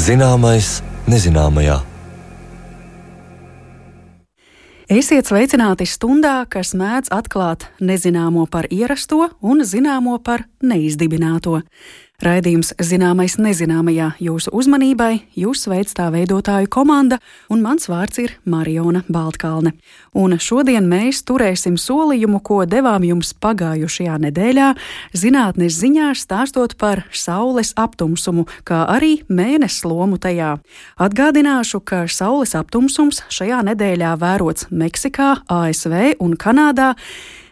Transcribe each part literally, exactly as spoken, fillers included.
Zināmais nezināmajā. Esiet sveicināti stundā, kas mēdz atklāt nezināmo par ierasto un zināmo par neizdibināto. Raidījums Zināmais nezināmajā jūsu uzmanībai, jūs sveic tā veidotāju komanda, un mans vārds ir Mariona Baltkalne. Un šodien mēs turēsim solījumu, ko devām jums pagājušajā nedēļā, zinātnes ziņās stāstot par Saules aptumsumu, kā arī mēness lomu tajā. Atgādināšu, ka Saules aptumsums šajā nedēļā vērots Meksikā, A S V un Kanādā,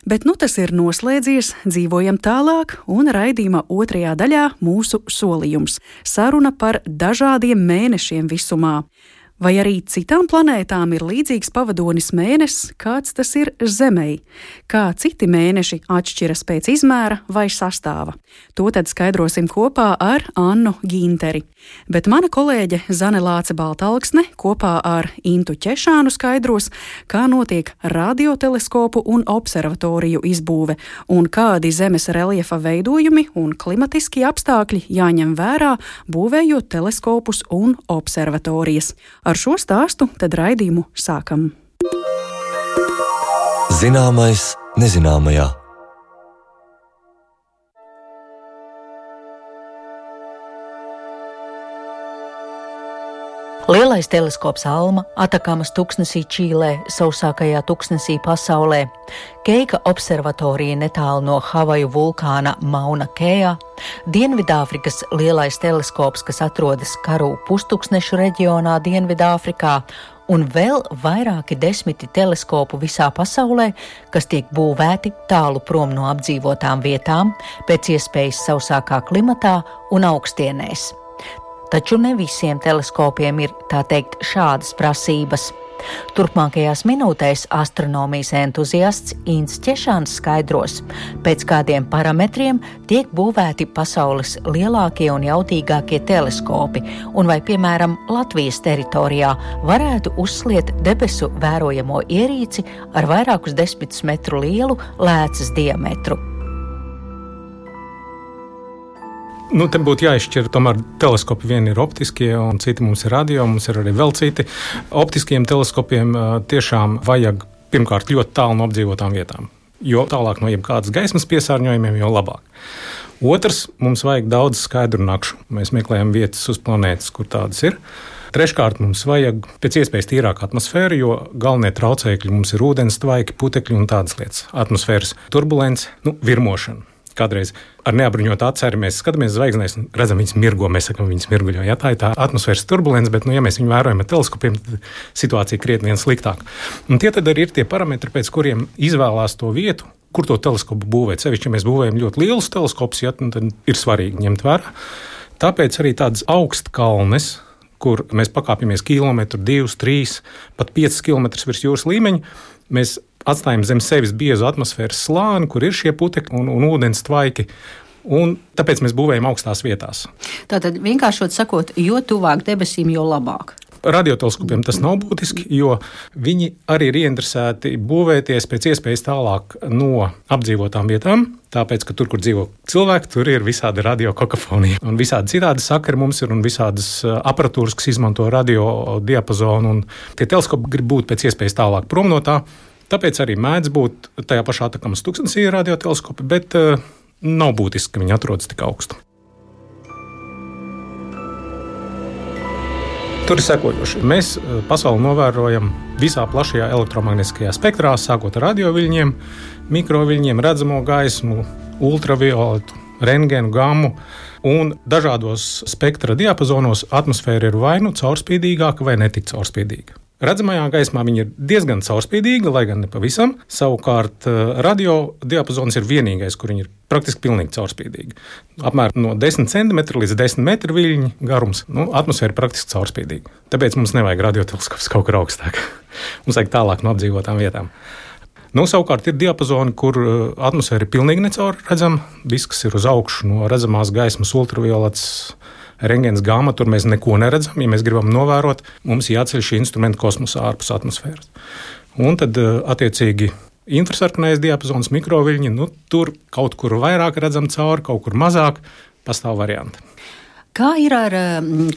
bet nu tas ir noslēdzies, dzīvojam tālāk, un raidījuma otrajā daļā mūsu solījums – saruna par dažādiem mēnešiem visumā. Vai arī citām planētām ir līdzīgs pavadonis mēnesis, kāds tas ir Zemei? Kā citi mēneši atšķiras pēc izmēra vai sastāva? To tad skaidrosim kopā ar Annu Ginteri. Bet mana kolēģe Zane Lāce Baltalksne kopā ar Intu Ķešānu skaidros, kā notiek radioteleskopu un observatoriju izbūve un kādi Zemes reljefa veidojumi un klimatiskie apstākļi jāņem vērā, būvējot teleskopus un observatorijas. Ar šo stāstu tad raidījumu sākam. Zināmais nezināmajā. Lielais teleskops Alma, Atakamas tuksnesī Čīlē, sausākajā tuksnesī pasaulē, Keika observatorija netālu no Havaju vulkāna Mauna Kejā, Dienvidāfrikas lielais teleskops, kas atrodas Karu pustuksnešu reģionā Dienvidāfrikā, un vēl vairāki desmiti teleskopu visā pasaulē, kas tiek būvēti tālu prom no apdzīvotām vietām, pēc iespējas sausākā klimatā un augstienēs. Taču ne visiem teleskopiem ir, tā teikt, šādas prasības. Turpmākajās minūtēs astronomijas entuziasts Ints Ķešāns skaidros, pēc kādiem parametriem tiek būvēti pasaules lielākie un jautīgākie teleskopi, un vai, piemēram, Latvijas teritorijā varētu uzsliet debesu vērojamo ierīci ar vairākus desmitus metru lielu lēcas diametru. Nu, te būtu jāizšķir, tomēr teleskopi vieni ir optiskie un citi mums ir radio, mums ir arī vēl citi. Optiskiem teleskopiem tiešām vajag pirmkārt ļoti tālu no apdzīvotām vietām, jo tālāk no jebkādas gaismas piesārņojumiem, jo labāk. Otrs, mums vajag daudz skaidru nakšu. Mēs meklējam vietas uz planētas, kur tādas ir. Treškārt, mums vajag pēc iespējas tīrāku atmosfēru, jo galvenie traucēkļi mums ir ūdens tvaiki, putekļi un tādas lietas. Atmosfēras turbulence, nu, virmošana. Kādreiz ar neapbruņotu aci arī mēs skatāmies zvaigznēs un redzam viņas mirgo, mēs sakam, viņas mirguļo. Ja, tā ir tā atmosfēras turbulence, bet, nu, ja mēs viņu vērojam ar teleskopiem, tad situācija krietni vien sliktāk. Un tie tad arī ir tie parametri, pēc kuriem izvēlās to vietu, kur to teleskopu būvēt. Sevišķi, ja mēs būvējam ļoti lielus teleskopus, ja, tad ir svarīgi ņemt vērā. Tāpēc arī tādas augstkalnes, kur mēs pakāpjamies kilometru, divus, trīs, pat piecus kilometrus virs jūras līmeņa, mēs atstājam zem sevis biezu atmosfēras slāni, kur ir šie putekļi un, un ūdens tvaiki, un tāpēc mēs būvējam augstās vietās. Tātad vienkāršot sakot, jo tuvāk debesīm, jo labāk. Radioteleskopiem tas nav būtiski, jo viņi arī ir ieinteresēti būvēties pēc iespējas tālāk no apdzīvotām vietām, tāpēc, ka tur, kur dzīvo cilvēki, tur ir visādi radiokokafonija. Un visādi citādi sakari mums ir un visādas aparatūras, kas izmanto radio diapazonu, un tie teleskopi grib būt pēc iespējas tālāk prom no tā. Tāpēc arī mēdz būt tajā pašā Atakamas tuksnesī radioteleskopi, bet uh, nav būtiski, ka viņi atrodas tik augstu. Tur ir sekojoši. Mēs pasauli novērojam visā plašajā elektromagnētiskajā spektrā, sākot ar radioviļņiem, mikroviļņiem, redzamo gaismu, ultravioletu, rentgenu, gammu, un dažādos spektra diapazonos atmosfēra ir vai nu caurspīdīgāka vai netik caurspīdīga. Redzamajā gaismā viņa ir diezgan caurspīdīga, lai gan ne pavisam. Savukārt radio diapazons ir vienīgais, kur viņa ir praktiski pilnīgi caurspīdīga. Apmēram no desmit centimetri līdz desmit metru viļņu garums. Nu, atmosfēra ir praktiski caurspīdīga. Tāpēc mums nevajag radioteleskops kaut kur augstāk. Mums vajag tālāk no apdzīvotām vietām. Nu, savukārt ir diapazoni, kur atmosfēra ir pilnīgi necaur redzama. Viss, kas ir uz augšu no redzamās gaismas, ultraviolets, rengens, gāma, tur mēs neko neredzam. Ja mēs gribam novērot, mums jāceļ šī instrumenta kosmosā ārpus atmosfēras. Un tad, attiecīgi, infrasarkanais diapazons, mikroviļņi, nu, tur kaut kur vairāk redzam cauri, kaut kur mazāk, pastāv varianti. Kā ir ar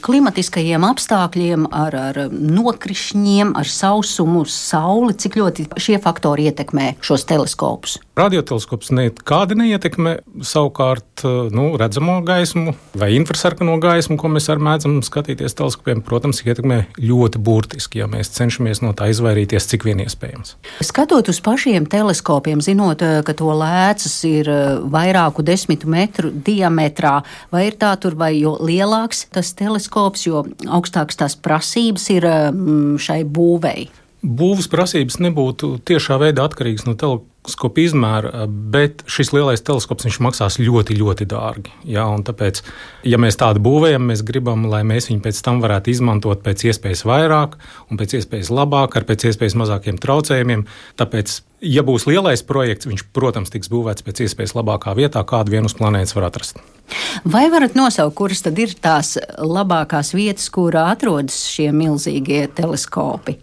klimatiskajiem apstākļiem, ar, ar nokrišņiem, ar sausumu, sauli? Cik ļoti šie faktori ietekmē šos teleskopus? Radioteleskops nekādi neietekmē, savukārt nu, redzamo gaismu vai infrasarkano gaismu, ko mēs arī mēdzam skatīties teleskopiem, protams, ietekmē ļoti burtiski, ja mēs cenšamies no tā izvairīties, cik vien iespējams. Skatot uz pašiem teleskopiem, zinot, ka to lēcas ir vairāku desmitu metru diametrā, vai ir tā tur, vai jo lielāks tas teleskops, jo augstāks tās prasības ir šai būvei? Būvas prasības nebūtu tiešā veidā atkarīgas no teleskopa izmēra, bet šis lielais teleskops viņš maksās ļoti, ļoti dārgi. Jā, un tāpēc, ja mēs tādu būvējam, mēs gribam, lai mēs viņu pēc tam varētu izmantot pēc iespējas vairāk un pēc iespējas labāk, ar pēc iespējas mazākiem traucējumiem. Tāpēc, ja būs lielais projekts, viņš, protams, tiks būvēts pēc iespējas labākā vietā, kādu vien uz planētas var atrast. Vai varat nosaukt, kuras tad ir tās labākās vietas, kurā atrodas šie milzīgie teleskopi?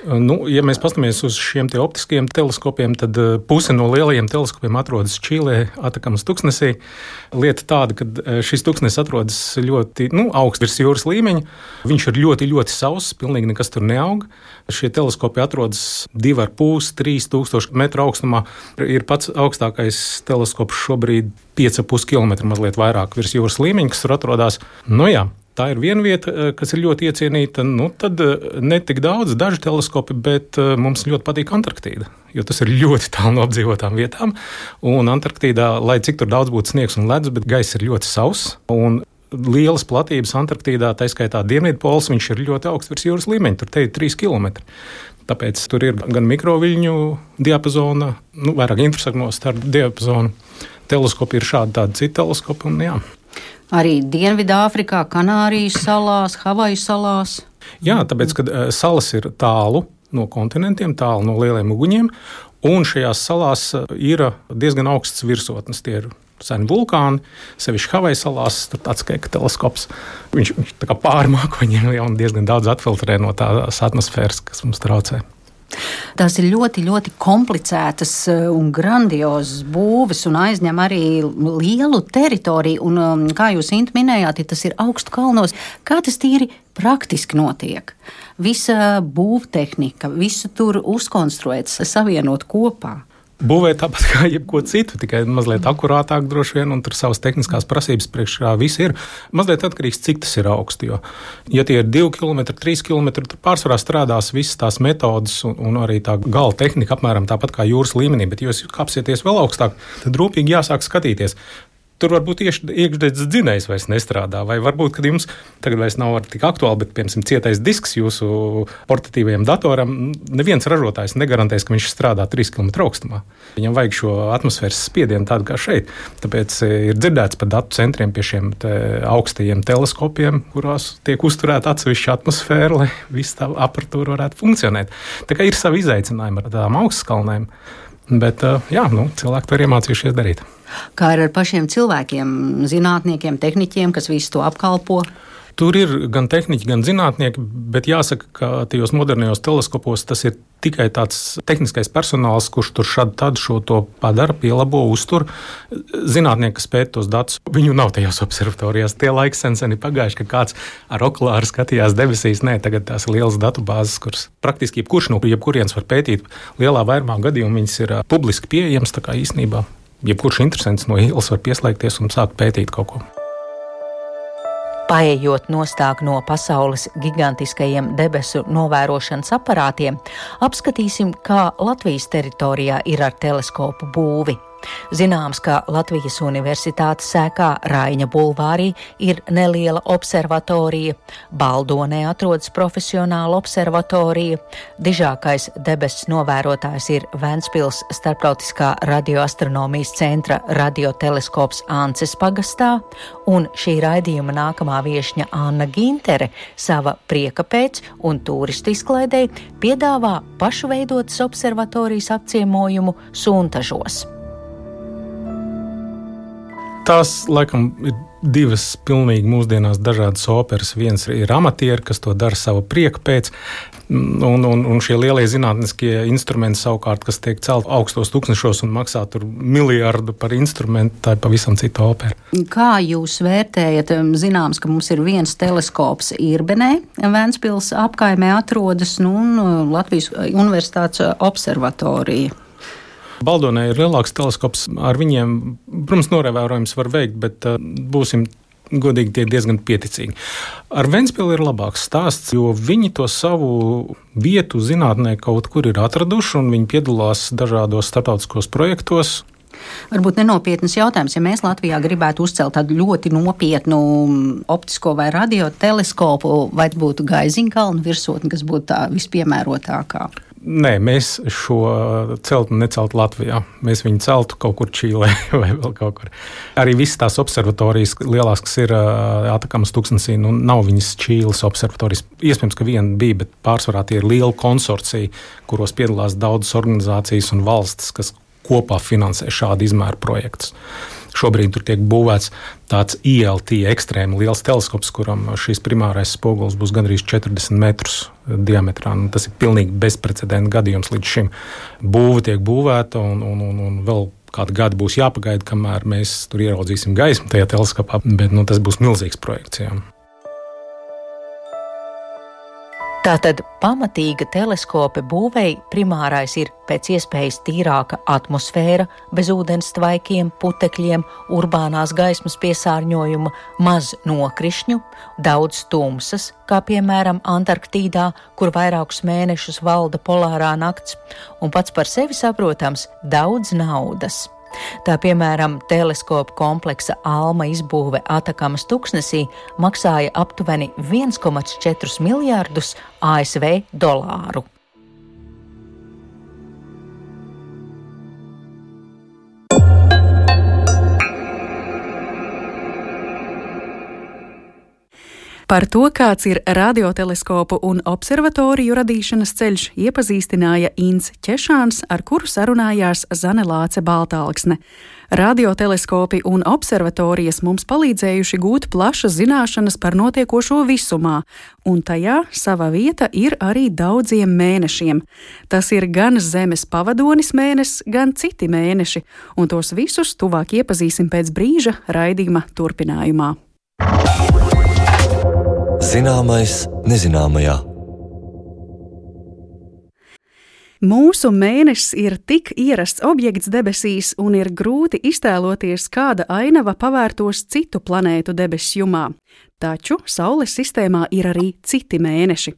Nu, ja mēs paskatāmies uz šiem te optiskajiem teleskopiem, tad puse no lielajiem teleskopiem atrodas Čīlē, Atakamas tuksnesī. Lieta tāda, ka šis tuksnes atrodas ļoti nu, augsts virs jūras līmeņa. Viņš ir ļoti, ļoti sauss, pilnīgi nekas tur neaug. Šie teleskopi atrodas divi ar pus, trīs tūkstoši metru augstumā. Ir pats augstākais teleskops šobrīd pieci ar pus kilometru mazliet vairāk virs jūras līmeņa, kas tur atrodas. Nu jā. Tā ir viena vieta, kas ir ļoti iecienīta. Nu, tad ne tik daudz, daži teleskopi, bet mums ļoti patīk Antarktīda, jo tas ir ļoti tālu no apdzīvotām vietām. Un Antarktīdā, lai cik tur daudz būtu sniegs un ledus, bet gaiss ir ļoti sauss. Un lielas platības Antarktīdā, tā skaitā Dienvidpols, viņš ir ļoti augsts virs jūras līmeņa, tur te ir trīs kilometri. Tāpēc tur ir gan mikroviļņu diapazona, nu, vairāk infrasarkano starp diapazonu. Teleskopi ir šādi tādi citi teleskopi un jā. Arī Dienvidāfrikā, Kanārijas salās, Havaju salās. Jā, tāpēc, ka salas ir tālu no kontinentiem, tālu no lieliem uguņiem, un šajās salās ir diezgan augsts virsotnes. Tie ir seni vulkāni, sevišķi Havaju salās, tur tāds kā teleskops. Viņš, viņš tā kā pārmāk viņiem jau diezgan daudz atfiltrē no tās atmosfēras, kas mums traucē. Tās ir ļoti, ļoti komplicētas un grandiozas būves un aizņem arī lielu teritoriju. Un, kā jūs, Inta, minējāt, ja tas ir augstu kalnos, kā tas tīri praktiski notiek? Visa būvtehnika, visu tur uzkonstruēts, savienot kopā. Būvē tāpat kā jebko citu, tikai mazliet akurātāk droši vien, un tur savas tehniskās prasības priekšā viss ir. Mazliet atkarīgs, cik tas ir augsti, jo, ja tie ir divi kilometri, trīs kilometri, tur pārsvarā strādās visas tās metodas un, un arī tā gala tehnika apmēram tāpat kā jūras līmenī, bet, ja jūs kāpsieties vēl augstāk, tad rūpīgi jāsāk skatīties. Tur varbūt iekšdedzes dzinējs vairs nestrādā, vai varbūt, kad jums tagad vairs nav tik aktuāli, bet, piemēram, cietais disks jūsu portatīvajam datoram, neviens ražotājs negarantēs, ka viņš strādā trīs kilometru augstumā. Viņam vajag šo atmosfēras spiedienu tādu kā šeit. Tāpēc ir dzirdēts par datu centriem pie šiem te augstajiem teleskopiem, kurās tiek uzturēta atsevišķa atmosfēra, lai viss tā aparatūra varētu funkcionēt. Tā kā ir savi izaicinājumi ar tādām augstskalnēm. Bet jā, nu, cilvēki to ir iemācījušies darīt. Kā ir ar pašiem cilvēkiem, zinātniekiem, tehniķiem, kas visu to apkalpo? Tur ir gan tehniķi, gan zinātnieki, bet jāsaka, ka tajos modernajos teleskopos tas ir tikai tāds tehniskais personāls, kurš tur šādi tad šo to padara, pielabo, uztur. Zinātnieki, kas pēta tos datus, viņu nav tajās observatorijās. Tie laiki sen sen ir pagājuši, ka kāds ar okulāru skatījās debesīs. Nē, tagad tās ir lielas datubāzes, kuras praktiski jebkurš no jebkurienes var pētīt. Lielā vairumā gadījumu viņas ir publiski pieejamas, tā kā īstenībā jebkurš interesants no ielas var pieslēgties un sākt pētīt kaut ko. Paejot nostāk no pasaules gigantiskajiem debesu novērošanas aparātiem, apskatīsim, kā Latvijas teritorijā ir ar teleskopu būvi. Zināms, ka Latvijas Universitātes sēkā Raiņa bulvārī ir neliela observatorija, Baldonē atrodas profesionāla observatorija, dižākais debesis novērotājs ir Ventspils Starptautiskā radioastronomijas centra radioteleskops Ances pagastā, un šī raidījuma nākamā viešņa Anna Gintere sava prieka pēc un turistu izklaidei piedāvā pašu veidotas observatorijas apciemojumu Suntažos. Tās, laikam, ir divas pilnīgi mūsdienās dažādas operas. Viens ir amatieri, kas to dara sava prieka pēc, un, un, un šie lielie zinātniskie instrumenti savukārt, kas tiek celt augstos tūkstnešos un maksā tur miljardu par instrumentu, tā ir pavisam cita opera. Kā jūs vērtējat? Zināms, ka mums ir viens teleskops Irbenē, Ventspils apkaimē atrodas, nu, un Latvijas Universitātes observatorija. Baldonē ir lielāks teleskops, ar viņiem, protams, norevērojums var veikt, bet uh, būsim godīgi tie diezgan pieticīgi. Ar Ventspilu ir labāks stāsts, jo viņi to savu vietu zinātnē kaut kur ir atraduši, un viņi piedalās dažādos starptautiskos projektos. Varbūt nenopietnas jautājums, ja mēs Latvijā gribētu uzcelt tādu ļoti nopietnu optisko vai radioteleskopu, vai būtu Gaiziņkalna virsotne, kas būtu tā vispiemērotākā? Nē, mēs šo celtu neceltu Latvijā. Mēs viņu celtu kaut kur Čīlē vai vēl kaut kur. Arī visas tās observatorijas lielās, kas ir Atakamas tūkstnesī, nu nav viņas Čīles observatorijas. Iespējams, ka viena bija, bet pārsvarā tie ir liela konsorcija, kuros piedalās daudzas organizācijas un valstis, kas kopā finansē šādu izmēru projektus. Šobrīd tur tiek būvēts tāds I L T ekstrēmi liels teleskops, kuram šīs primārais spogulis būs gandrīz četrdesmit metrus diametrā. Nu, tas ir pilnīgi bezprecedenta gadījums līdz šim. Būva tiek būvēta un, un, un, un vēl kādu gadu būs jāpagaida, kamēr mēs tur ieraudzīsim gaismu tajā teleskopā, bet nu, tas būs milzīgs projekts. Jā. Tātad pamatīga teleskopa būvei primārais ir pēc iespējas tīrāka atmosfēra, bez ūdens tvaikiem, putekļiem, urbānās gaismas piesārņojuma, maz nokrišņu, daudz tumsas, kā piemēram Antarktīdā, kur vairākus mēnešus valda polārā nakts, un pats par sevi saprotams daudz naudas. Tā piemēram, teleskopu kompleksa Alma izbūve Atakamas tūkstnesī maksāja aptuveni viens komā četri miljārdus A S V dolāru. Par to, kāds ir radioteleskopu un observatoriju radīšanas ceļš, iepazīstināja Inns Ķešāns, ar kuru sarunājās Zane Lāce Baltālksne. Radioteleskopi un observatorijas mums palīdzējuši gūt plašas zināšanas par notiekošo visumā, un tajā sava vieta ir arī daudziem mēnešiem. Tas ir gan Zemes pavadonis mēnesis, gan citi mēneši, un tos visus tuvāk iepazīsim pēc brīža raidījuma turpinājumā. Zināmais nezināmajā. Mūsu mēnesis ir tik ierasts objekts debesīs, un ir grūti iztēloties, kāda ainava pavērtos citu planētu debesu jumā. Taču Saules sistēmā ir arī citi mēneši.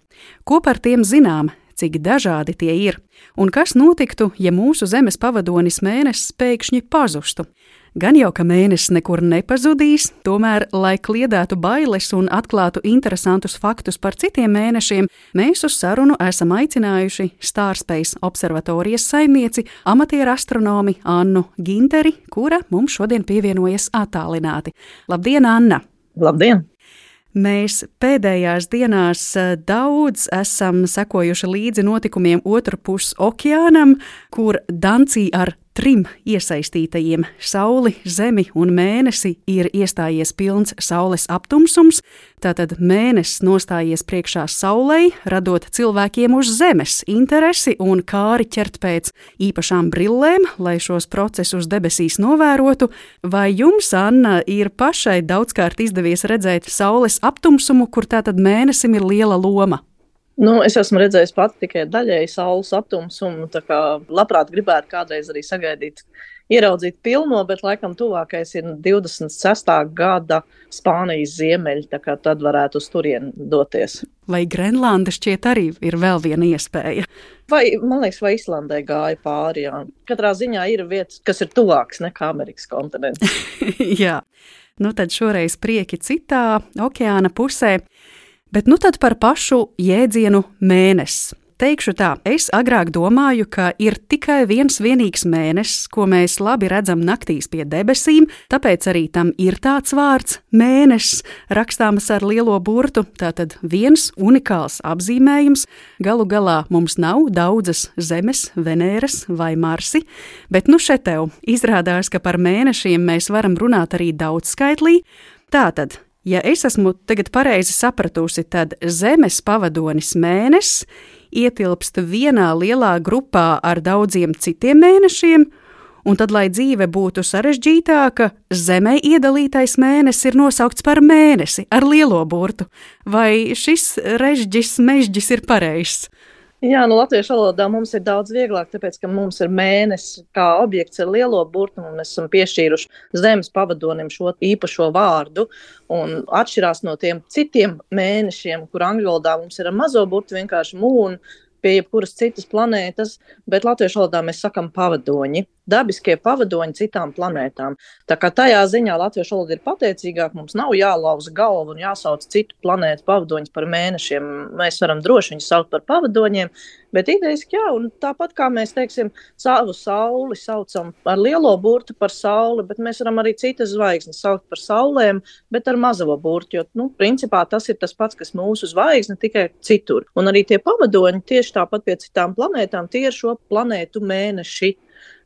Ko par tiem zinām, cik dažādi tie ir, un kas notiktu, ja mūsu Zemes pavadonis mēnesis pēkšņi pazustu? Gan jau, ka mēnesis nekur nepazudīs, tomēr, lai kliedētu bailes un atklātu interesantus faktus par citiem mēnešiem, mēs uz sarunu esam aicinājuši Starspace observatorijas saimnieci, amatieru astronomi Annu Ginteri, kura mums šodien pievienojas attālināti. Labdien, Anna! Labdien! Mēs pēdējās dienās daudz esam sekojuši līdzi notikumiem otru pus okeānam, kur Dancī ar trim iesaistītajiem – Sauli, Zemi un Mēnesi – ir iestājies pilns Saules aptumsums, tātad Mēnesis nostājies priekšā Saulei, radot cilvēkiem uz Zemes interesi un kāri ķert pēc īpašām brillēm, lai šos procesus debesīs novērotu. Vai jums, Anna, ir pašai daudzkārt izdevies redzēt Saules aptumsumu, kur tātad Mēnesim ir liela loma? Nu, es esmu redzējis pati tikai daļēji Saules aptumsumu, tā kā labprāt gribētu kādreiz arī sagaidīt ieraudzīt pilno, bet laikam tuvākais ir divdesmit sestā gada Spānijas ziemeļi, tā kā tad varētu uz turieni doties. Vai Grenlanda šķiet arī ir vēl viena iespēja? Vai, man liekas, vai Islandē gāja pāri, jā. Katrā ziņā ir vietas, kas ir tuvāks nekā Amerikas kontinents. Jā, nu tad šoreiz prieki citā okeāna pusē, bet nu tad par pašu jēdzienu mēnesis. Teikšu tā, es agrāk domāju, ka ir tikai viens vienīgs mēnesis, ko mēs labi redzam naktīs pie debesīm, tāpēc arī tam ir tāds vārds mēnesis, rakstāms ar lielo burtu, tātad viens unikāls apzīmējums. Galu galā mums nav daudzas Zemes, Venēras vai Marsi, bet nu šeit tev izrādās, ka par mēnešiem mēs varam runāt arī daudzskaitlī. Tātad, ja es esmu tagad pareizi sapratusi, tad Zemes pavadonis mēnesis ietilpst vienā lielā grupā ar daudziem citiem mēnešiem, un tad, lai dzīve būtu sarežģītāka, Zemē iedalītais mēnesis ir nosaukts par mēnesi ar lielo burtu. Vai šis režģis, mežģis ir pareizs? Jā, nu latviešu valodā mums ir daudz vieglāk, tāpēc, ka mums ir mēnesis kā objekts ar lielo burtu, un mēs esam piešķīruši Zemes pavadonim šo īpašo vārdu, un atšķirās no tiem citiem mēnešiem, kur angļu valodā mums ir ar mazo burtu vienkārši moon, pie jebkuras citas planētas, bet latviešu valodā mēs sakam pavadoņi, dabiskie pavadoņi citām planētām. Tā kā tajā ziņā latviešu valoda ir pateicīgāk, mums nav jālauza galvu un jāsauc citu planētu pavadoņus par mēnešiem. Mēs varam droši viņus saukt par pavadoņiem, bet idejiski jā, un tāpat kā mēs, teiksim, savu sauli saucam ar lielo burtu par sauli, bet mēs varam arī citas zvaigznes saukt par saulēm, bet ar mazo burtu, jo, nu, principā tas ir tas pats, kas mūsu zvaigzne, tikai citur. Un arī tie pavadoņi tieši tāpat pie citām planētām, tie ir šo planētu mēneši.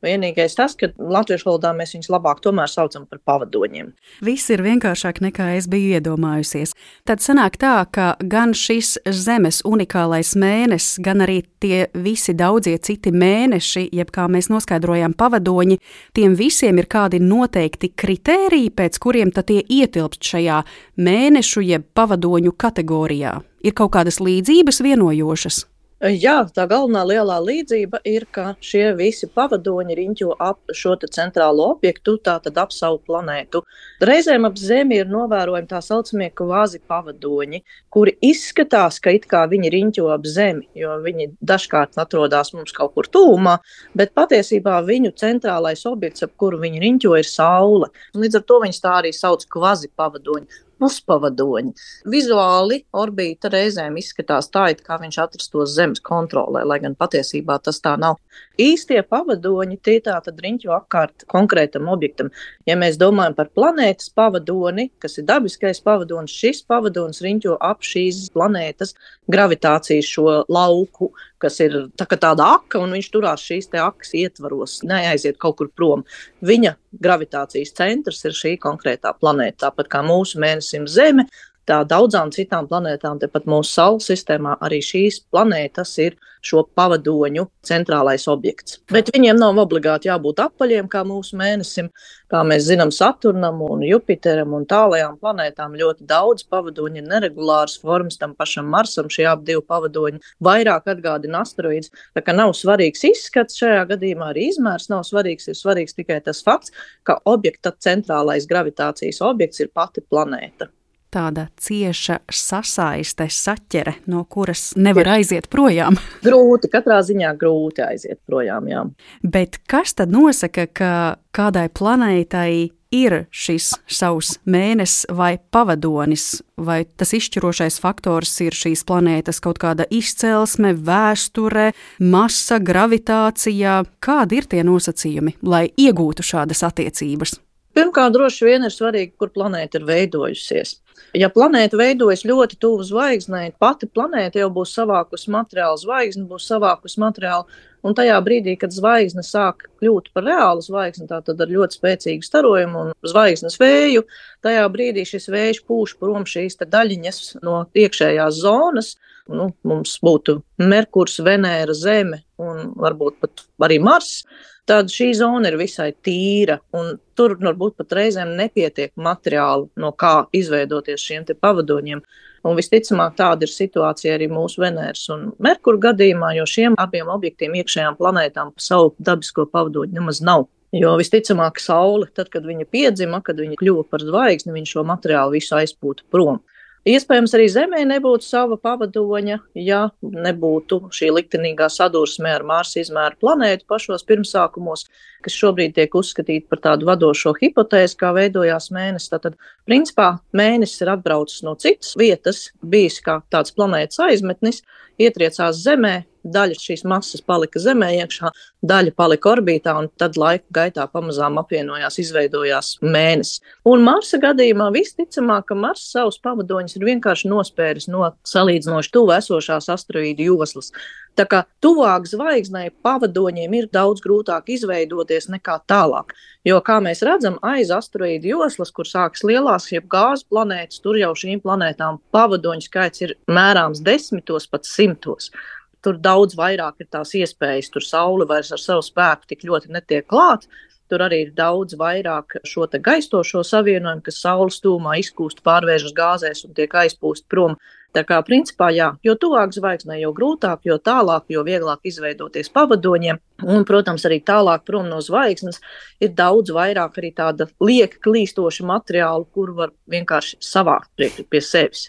Vienīgais tas, ka latviešu valodā mēs viņus labāk tomēr saucam par pavadoņiem. Viss ir vienkāršāk nekā es biju iedomājusies. Tad sanāk tā, ka gan šis Zemes unikālais mēnesis, gan arī tie visi daudzie citi mēneši, jeb kā mēs noskaidrojām pavadoņi, tiem visiem ir kādi noteikti kritēriji, pēc kuriem tad tie ietilpst šajā mēnešu jeb pavadoņu kategorijā. Ir kaut kādas līdzības vienojošas? Jā, tā galvenā lielā līdzība ir, ka šie visi pavadoņi riņķo ap šo te centrālo objektu, tātad ap savu planētu. Reizēm ap Zemi ir novērojami tā saucamie kvazi pavadoņi, kuri izskatās, ka it kā viņi riņķo ap Zemi, jo viņi dažkārt atrodas mums kaut kur tūmā, bet patiesībā viņu centrālais objekts, ap kuru viņi riņķo, ir Saule. Līdz ar to viņus tā arī sauc kvazi pavadoņi. Puspavadoņi. Vizuāli orbīta reizēm izskatās tā, it kā viņš atrastos Zemes kontrolē, lai gan patiesībā tas tā nav. Īstie pavadoņi tie tā tad riņķo apkārt konkrētam objektam. Ja mēs domājam par planētas pavadoni, kas ir dabiskais pavadonis, šis pavadonis riņķo ap šīs planētas gravitācijas šo lauku, kas ir tā kā tāda aka, un viņš turās šīs te akas ietvaros, neaiziet kaut kur prom. Viņa gravitācijas centrs ir šī konkrētā planēta, tāpat kā mūsu mēnesim Zeme, tā daudzām citām planētām, tepat mūsu Saules sistēmā, arī šīs planētas ir šo pavadoņu centrālais objekts. Bet viņiem nav obligāti jābūt apaļiem, kā mūsu mēnesim, kā mēs zinām Saturnam un Jupiteram un tālajām planētām ļoti daudz pavadoņu ir neregulāras formas, tam pašam Marsam šie ap divi pavadoņi vairāk atgādina asteroīdus, tā kā nav svarīgs izskats šajā gadījumā, arī izmērs nav svarīgs, ir svarīgs tikai tas fakts, ka objekta centrālais gravitācijas objekts ir pati planēta. Tāda cieša sasaiste, saķere, no kuras nevar aiziet projām. Grūti, katrā ziņā grūti aiziet projām, jā. Bet kas tad nosaka, ka kādai planētai ir šis savs mēnesis vai pavadonis, vai tas izšķirošais faktors ir šīs planētas kaut kāda izcelsme, vēsture, masa, gravitācija? Kādi ir tie nosacījumi, lai iegūtu šādas attiecības? Pirmkārt, droši vien ir svarīgi, kur planēta ir veidojusies. Ja planēta veidojas ļoti tuvu zvaigznei, pati planēta jau būs savākusi materiālu, zvaigzne būs savākusi materiālu, un tajā brīdī, kad zvaigzne sāk kļūt par reālu zvaigzni, tātad ar ļoti spēcīgu starojumu un zvaigznes vēju, tajā brīdī šis vējš pūš prom šīs te daļiņas no iekšējās zonas. Nu, mums būtu Merkurs, Venēra, Zeme un varbūt pat arī Mars. Tad šī zona ir visai tīra, un tur varbūt pat reizēm nepietiek materiālu, no kā izveidoties šiem te pavadoņiem. Un visticamāk tāda ir situācija arī mūsu Venēras un Merkura gadījumā, jo šiem abiem objektiem iekšējām planētām savu dabisko pavadoņu nemaz nav. Jo visticamāk Saule, tad, kad viņa piedzima, kad viņa kļuva par zvaigzni, viņa šo materiālu visu aizpūta prom. Iespējams, arī Zemē nebūtu sava pavadoņa, ja nebūtu šī liktenīgā sadursme ar Marsa izmēra planētu pašos pirmsākumos, kas šobrīd tiek uzskatīta par tādu vadošo hipotēzi, kā veidojās mēnesis. Tātad, principā, mēnesis ir atbraucis no citas vietas, bijis kā tāds planētas aizmetnis, ietriecās Zemē, daļa šīs masas palika Zemē iekšā, daļa palika orbītā, un tad laika gaitā pamazām apvienojās, izveidojās mēnesis. Un Marsa gadījumā visticamāk, ka Mars savus pavadoņus ir vienkārši nospēris no salīdzinoši tuvu esošās asteroīdu joslas. Tā kā tuvāk zvaigznei pavadoņiem ir daudz grūtāk izveidoties nekā tālāk. Jo, kā mēs redzam, aiz asteroīdu joslas, kur sākas lielās, jeb gāzes planētas, tur jau šīm planētām pavadoņu skaits ir mērāms desmitos, pat simtos. Tur daudz vairāk ir tās iespējas, tur Saule vairs ar savu spēku tik ļoti netiek klāt. Tur arī ir daudz vairāk šo te gaistošo savienojumu, kas Saules tūmā izkūst, pārvēršas gāzēs un tiek aizpūst prom. Tā kā principā jā, jo tuvāk zvaigznei, jo grūtāk, jo tālāk, jo vieglāk izveidoties pavadoņiem. Un, protams, arī tālāk prom no zvaigznes ir daudz vairāk arī tāda lieka klīstoša materiāla, kur var vienkārši savākt priekš pie sevis.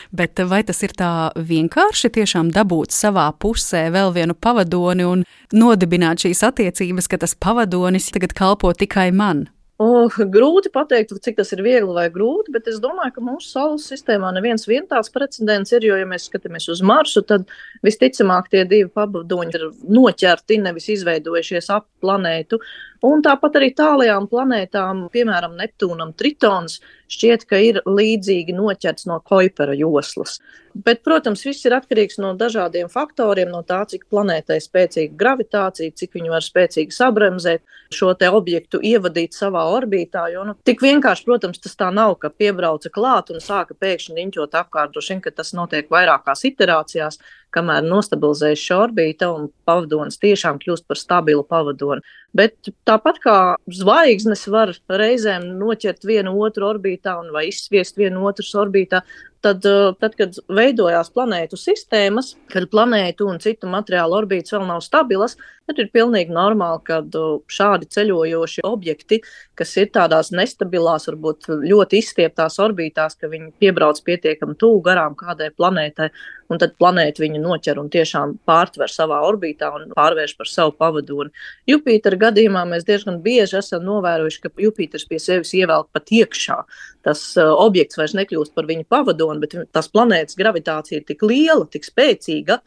Bet vai tas ir tā vienkārši tiešām dabūt savā pusē vēl vienu pavadoni un nodibināt šīs attiecības, ka tas pavadonis tagad kalpo tikai man? Oh, grūti pateikt, cik tas ir viegli vai grūti, bet es domāju, ka mūsu Saules sistēmā neviens vien tāds precedents ir, jo, ja mēs skatāmies uz Marsu, tad visticamāk tie divi pavadoņi ir noķerti, nevis izveidojušies ap planētu. Un tāpat arī tālajām planētām, piemēram, Neptūnam, Tritons, šķiet, ka ir līdzīgi noķerts no Kuipera joslas. Bet, protams, viss ir atkarīgs no dažādiem faktoriem, no tā, cik planētai spēcīga gravitācija, cik viņi var spēcīgi sabremzēt šo te objektu, ievadīt savā orbītā, jo nu, tik vienkārši, protams, tas tā nav, ka piebrauca klāt un sāka pēkšņi riņķot apkārt, droši vien, ka tas notiek vairākās iterācijās, kamēr nostabilizējas šī orbīta un pavadonis tiešām kļūst par stabilu pavadoni. Bet tāpat kā zvaigznes var reizēm noķert vienu otru orbītā un vai izsviest vienu otras orbītā, tad, tad, kad veidojās planētu sistēmas, kad planētu un citu materiālu orbītas vēl nav stabilas, tad ir pilnīgi normāli, kad šādi ceļojoši objekti, kas ir tādās nestabilās, varbūt ļoti izstieptās orbītās, ka viņi piebrauc pietiekami tuvu garām kādai planētai, un tad planēta viņu noķer un tiešām pārtver savā orbītā un pārvērš par savu pavadoni. Jupitera gadījumā mēs diezgan bieži esam novērojuši, ka Jupiters pie sevis ievelk pat iekšā. Tas uh, objekts vairs nekļūst par viņu pavadoni, bet tās planētas gravitācija ir tik liela, tik spēcīga,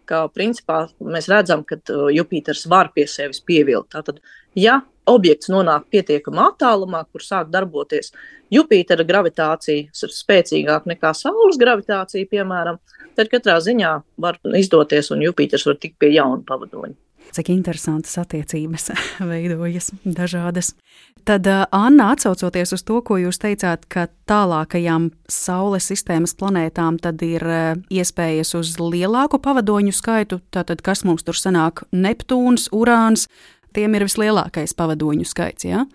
ka principā mēs redzam, ka uh, Jupiters var pie sevis pievilkt. Tātad, ja objekts nonāk pietiekamā attālumā, kur sāk darboties Jupitera gravitācija ir spēcīgāka nekā Saules gravitācija, piemēram, tad katrā ziņā var izdoties un Jupiters var tikt pie jauna pavadoņa. Cik interesantas attiecības veidojas dažādas. Tad, Anna, atsaucoties uz to, ko jūs teicāt, ka tālākajām Saules sistēmas planētām tad ir iespējas uz lielāku pavadoņu skaitu, tātad kas mums tur sanāk Neptūns, Urāns, tiem ir vislielākais pavadoņu skaits, jā?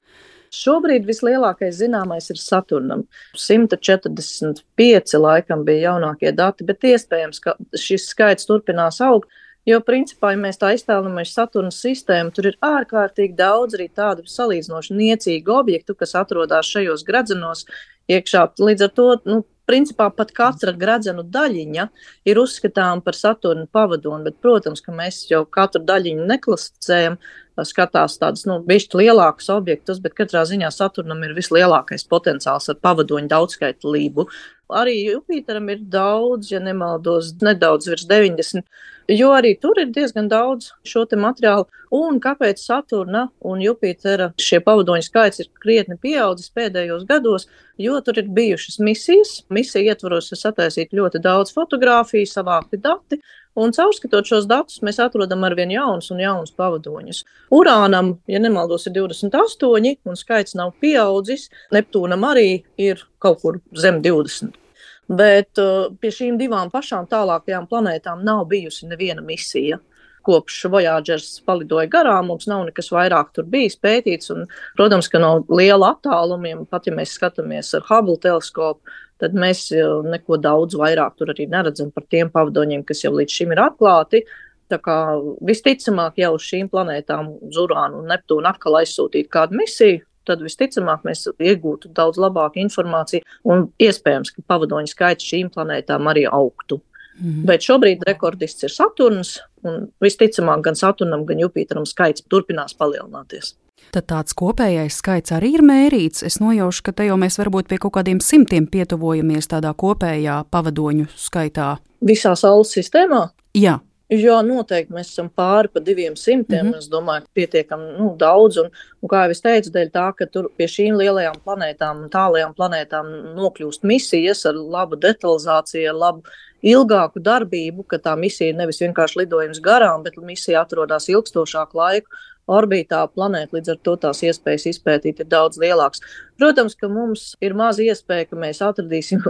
Šobrīd vislielākais zināmais ir Saturnam. simt četrdesmit pieci laikam bija jaunākie dati, bet iespējams, ka šis skaits turpinās augt. Jo, principā, ja mēs tā iztēlojamies Saturna sistēmu, tur ir ārkārtīgi daudz arī tādu salīdzinoši niecīgu objektu, kas atrodas šajos gredzenos iekšā. Līdz ar to, nu, principā, pat katra gredzenu daļiņa ir uzskatām par Saturna pavadoni, bet, protams, ka mēs jau katru daļiņu neklasificējam, skatās tādus, nu, bišķi lielākus objektus, bet katrā ziņā Saturnam ir vislielākais potenciāls ar pavadoņu daudzskaitlību. Arī Jupiteram ir daudz, ja nemaldos, nedaudz virs deviņdesmit, jo arī tur ir diezgan daudz šo te materiālu. Un kāpēc Saturna un Jupitera šie pavadoņu skaits ir krietni pieaudzis pēdējos gados, jo tur ir bijušas misijas. Misija ietvaros ir sataisīt ļoti daudz fotogrāfiju, savākti dati, un caurskatot šos datus mēs atrodam arvien jaunus un jaunus pavadoņus. Urānam, ja nemaldos, ir divdesmit astoņi, un skaits nav pieaudzis. Neptūnam arī ir kaut kur zem divdesmit. Bet uh, pie šīm divām pašām tālākajām planētām nav bijusi neviena misija. Kopš Voyagers palidoja garām, mums nav nekas vairāk tur bijis pētīts, un, protams, ka no liela attālumiem, pat ja mēs skatāmies ar Hubble teleskopu, tad mēs neko daudz vairāk tur arī neredzam par tiem pavadoņiem, kas jau līdz šim ir atklāti. Tā kā visticamāk jau uz šīm planētām, uz Urānu un Neptūnu atkal aizsūtīt kādu misiju, tad visticamāk mēs iegūtu daudz labāku informāciju un iespējams, ka pavadoņu skaits šīm planētām arī augtu. Mm. Bet šobrīd rekordists ir Saturns, un visticamāk gan Saturnam, gan Jupiteram skaits turpinās palielināties. Tad tāds kopējais skaits arī ir mērīts. Es nojaušu, ka te jau mēs varbūt pie kaut kādiem simtiem pietuvojamies tādā kopējā pavadoņu skaitā. Visā Saules sistēmā? Jā. Jā, noteikti mēs esam pāri pa diviem simtiem, mm-hmm. es domāju, ka pietiekam nu, daudz, un, un kā jau es teicu, dēļ tā, ka tur pie šīm lielajām planētām, tālajām planētām nokļūst misijas ar labu detalizāciju, ar labu ilgāku darbību, ka tā misija ir nevis vienkārši lidojums garām, bet misija atrodas ilgstošāku laiku orbītā planēta, līdz ar to tās iespējas izpētīt ir daudz lielāks. Protams, ka mums ir maz iespēja, ka mēs atradīsim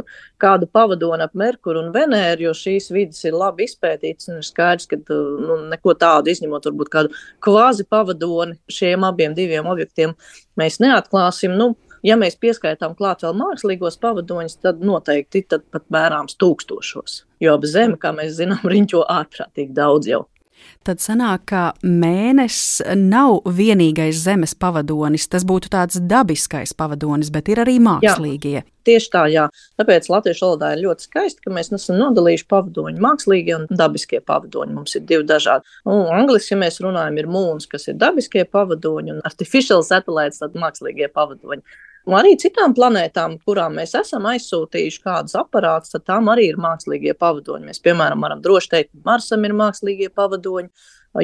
kādu pavadoni ap Merkuru un Venēru, jo šīs vidas ir labi izpētītas un ir skaidrs, ka nu, neko tādu izņemot varbūt kādu kvazi pavadoni šiem abiem diviem objektiem mēs neatklāsim. Nu, ja mēs pieskaitām klāt vēl mākslīgos pavadoņus, tad noteikti tad pat mērāms tūkstošos, jo ap Zemi, kā mēs zinām, riņķo ārprātīgi daudz jau. Tad sanāk, ka Mēnesis nav vienīgais Zemes pavadonis, tas būtu tāds dabiskais pavadonis, bet ir arī mākslīgie. Jā, tieši tā, jā. Tāpēc latviešu valodā ir ļoti skaisti, ka mēs nesam nodalījuši pavadoņu mākslīgie un dabiskie pavadoņi. Mums ir divi dažādi. Un angliski, ja mēs runājam, ir moons, kas ir dabiskie pavadoņi, un artificial satellites, tad mākslīgie pavadoņi. Un arī citām planētām, kurām mēs esam aizsūtījuši kādus aparātus, tad tām arī ir mākslīgie pavadoņi. Mēs, piemēram, varam droši teikt, ka Marsam ir mākslīgie pavadoņi,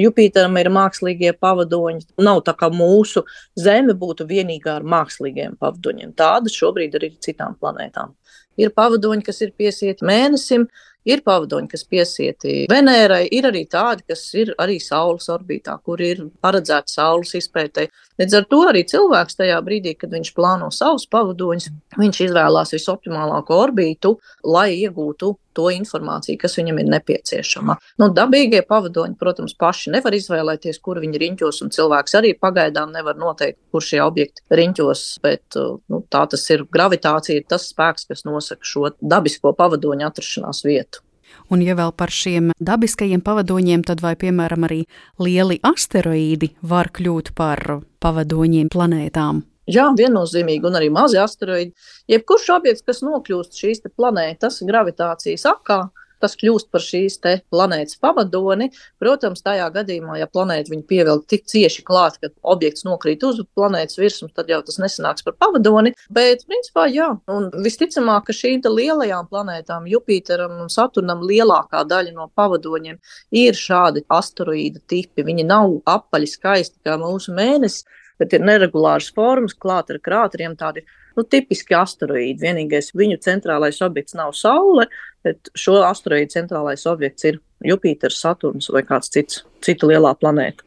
Jupiteram ir mākslīgie pavadoņi. Nav tā, kā mūsu Zeme būtu vienīgā ar mākslīgiem pavadoņiem. Tādas šobrīd arī ir citām planētām. Ir pavadoņi, kas ir piesieti Mēnesim, ir pavadoņi, kas piesieti Venērai, ir arī tādi, kas ir arī Saules orbītā, kur ir paredzēti Saules izpētei. Līdz ar to arī cilvēks tajā brīdī, kad viņš plāno savus pavadoņus, viņš izvēlās visoptimālāko orbītu, lai iegūtu to informāciju, kas viņam ir nepieciešama. Nu, dabīgie pavadoņi, protams, paši nevar izvēlēties, kur viņi riņķos, un cilvēks arī pagaidām nevar noteikt, kur šie objekti riņķos, bet nu, tā tas ir gravitācija, ir tas spēks, kas nosaka šo dabisko pavadoņu atrašanās vietu. Un ja vēl par šiem dabiskajiem pavadoņiem, tad vai, piemēram, arī lieli asteroīdi var kļūt par pavadoņiem planētām? Jā, viennozīmīgi, un arī mazi asteroīdi. Jebkurš objekts, kas nokļūst šīs te planētas gravitācijas akā, tas kļūst par šīs te planētas pavadoni. Protams, tajā gadījumā, ja planēta viņu pievelk tik cieši klāt, ka objekts nokrīt uz planētas virsmas, tad jau tas nesanāks par pavadoni. Bet, principā, jā, un visticamāk, ka šīm te lielajām planētām, Jupiteram un Saturnam, lielākā daļa no pavadoņiem ir šādi asteroīda tipi. Viņi nav apaļi skaisti kā mūsu Mēnesis, bet ir neregulāras formas, klāt ar krāteriem, tādi nu, tipiski asteroīdi. Vienīgais viņu centrālais objekts nav Saule, bet šo asteroīdu centrālais objekts ir Jupiters, Saturns vai kāds cits, cita lielā planēta.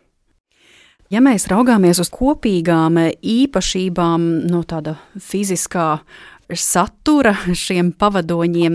Ja mēs raugāmies uz kopīgām īpašībām no tāda fiziskā satura šiem pavadoņiem,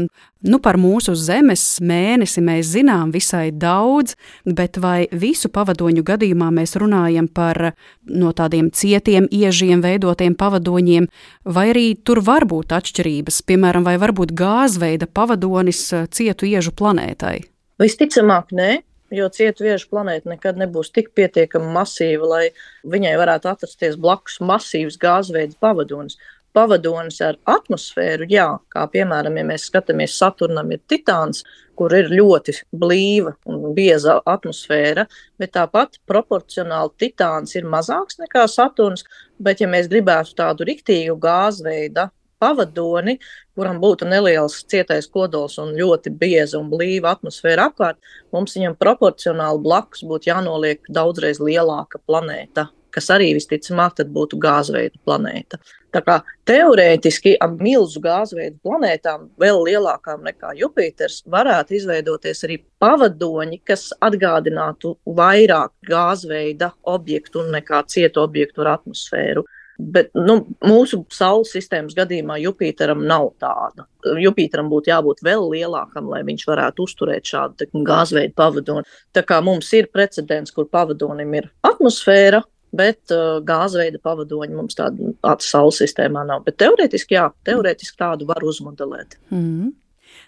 nu par mūsu Zemes Mēnesi mēs zinām visai daudz, bet vai visu pavadoņu gadījumā mēs runājam par no tādiem cietiem iežiem veidotiem pavadoņiem, vai arī tur var būt atšķirības, piemēram, vai varbūt gāzveida pavadonis cietu iežu planētai? Visticamāk, nē. Jo cietu iežu planēta nekad nebūs tik pietiekami masīva, lai viņai varētu atrasties blakus masīvs gāzveida pavadonis. Pavadonis ar atmosfēru, jā, kā piemēram, ja mēs skatāmies Saturnam ir Titāns, kur ir ļoti blīva un bieza atmosfēra, bet tāpat proporcionāli Titāns ir mazāks nekā Saturns, bet ja mēs gribētu tādu riktīgu gāzveida pavadoni, kuram būtu neliels cietais kodols un ļoti bieza un blīva atmosfēra apkārt, mums viņam proporcionāli blakus būtu jānoliek daudzreiz lielāka planēta, kas arī visticamāk tad būtu gāzveida planēta. Tā kā teorētiski ar milzu gāzveidu planētām, vēl lielākām nekā Jupiters, varētu izveidoties arī pavadoņi, kas atgādinātu vairāk gāzveida objektu nekā cietu objektu ar atmosfēru. Bet nu, mūsu Saules sistēmas gadījumā Jupiteram nav tāda. Jupiteram būtu jābūt vēl lielākam, lai viņš varētu uzturēt šādu gāzveidu pavadoni. Tā kā mums ir precedents, kur pavadonim ir atmosfēra, bet uh, gāzveida pavadoņi mums tādu Saules sistēmā nav. Bet teorētiski, jā, teorētiski tādu var uzmodelēt. Mm.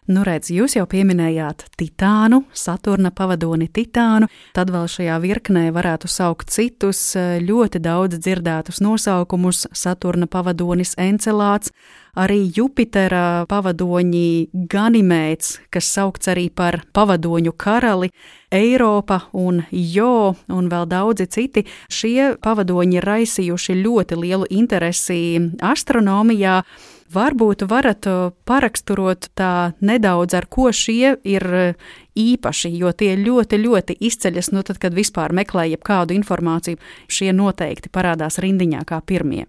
Nu, redz, jūs jau pieminējāt Titānu, Saturna pavadoni Titānu, tad vēl šajā virknē varētu saukt citus ļoti daudz dzirdētus nosaukumus - Saturna pavadonis Encelāds, arī Jupitera pavadoņi Ganimēds, kas saukts arī par pavadoņu karali, Eiropa un Jo un vēl daudzi citi. Šie pavadoņi ir raisījuši ļoti lielu interesi astronomijā. Varbūt varat paraksturot tā nedaudz, ar ko šie ir īpaši, jo tie ļoti, ļoti izceļas, nu tad, kad vispār meklē jebkādu informāciju, šie noteikti parādās rindiņā kā pirmie.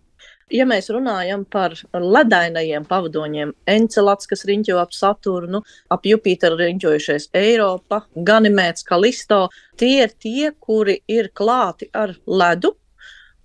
Ja mēs runājam par ledainajiem pavadoņiem, Encelāds, kas riņķo ap Saturnu, ap Jupiteru riņķojušies Eiropa, Ganimēds, Kalisto, tie ir tie, kuri ir klāti ar ledu,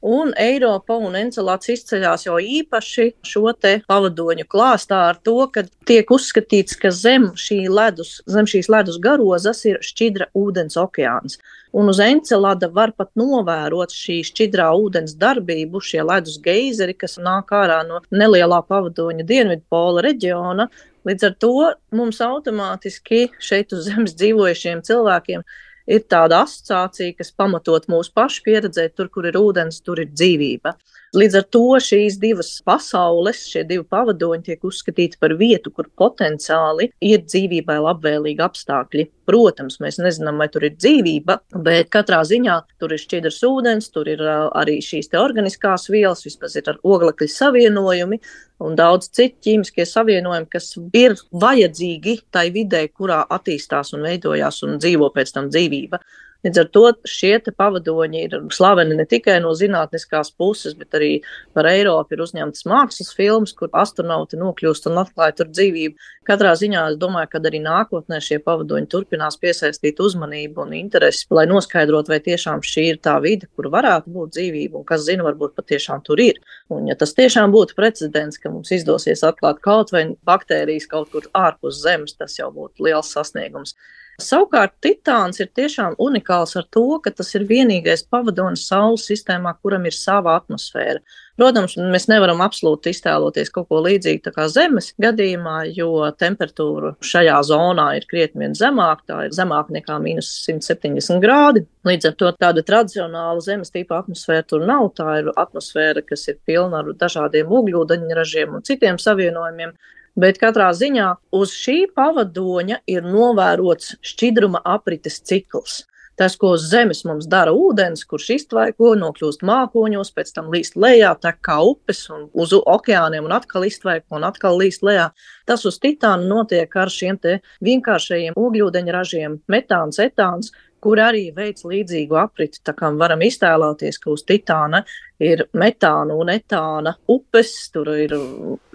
un Eiropa un Encelāds izceļās jau īpaši šo te pavadoņu klāstā ar to, ka tiek uzskatīts, ka zem, šī ledus, zem šīs ledus garozas ir šķidra ūdens okeāns. Un uz Encelada var pat novērot šī šķidrā ūdens darbību, šie ledus geizeri, kas nāk ārā no nelielā pavadoņa Dienvidpola reģiona. Līdz ar to mums automātiski šeit uz zemes dzīvojušiem cilvēkiem ir tāda asociācija, kas pamatot mūsu pašu pieredzē, tur, kur ir ūdens, tur ir dzīvība. Līdz ar to šīs divas pasaules, šie divi pavadoņi tiek uzskatīti par vietu, kur potenciāli ir dzīvībai labvēlīgi apstākļi. Protams, mēs nezinām, vai tur ir dzīvība, bet katrā ziņā tur ir šķidrs ūdens, tur ir arī šīs te organiskās vielas, vispār ir ar oglekļa savienojumi un daudz citu ķīmiskie savienojumi, kas ir vajadzīgi tai videi, kurā attīstās un veidojās un dzīvo pēc tam dzīvība. Līdz ar to šie te pavadoņi ir slaveni ne tikai no zinātniskās puses, bet arī par Eiropu ir uzņemtas mākslas filmas, kur astronauti nokļūst un atklāja tur dzīvību. Katrā ziņā es domāju, ka arī nākotnē šie pavadoņi turpinās piesaistīt uzmanību un interesi, lai noskaidrotu, vai tiešām šī ir tā vide, kur varētu būt dzīvība, un kas zina, varbūt patiešām tur ir. Un ja tas tiešām būtu precedents, ka mums izdosies atklāt kaut vai baktērijas kaut kur ārpus zemes, tas jau būtu liels sasniegums. Savukārt Titāns ir tiešām unikāls ar to, ka tas ir vienīgais pavadonis Saules sistēmā, kuram ir sava atmosfēra. Protams, mēs nevaram absolūti iztēloties kaut ko līdzīgu tā kā Zemes gadījumā, jo temperatūra šajā zonā ir krietni vien zemāka, tā ir zemāka nekā mīnus simt septiņdesmit grādi. Līdz ar to tāda tradicionāla Zemes tipa atmosfēra tur nav, tā ir atmosfēra, kas ir pilna ar dažādiem ogļūdeņražiem un citiem savienojumiem. Bet katrā ziņā uz šī pavadoņa ir novērots šķidruma aprites cikls. Tas, ko uz Zemes mums dara ūdens, kurš iztvaiko, nokļūst mākoņos, pēc tam līst lejā, tek kā upes un uz okeāniem un atkal iztvaiko un atkal līst lejā. Tas uz Titāna notiek ar šiem te vienkāršajiem ogļūdeņražiem, metāns, etāns, kur arī veids līdzīgu apriti. Tā kā varam iztēloties, ka uz Titāna ir metāna un etāna upes, tur ir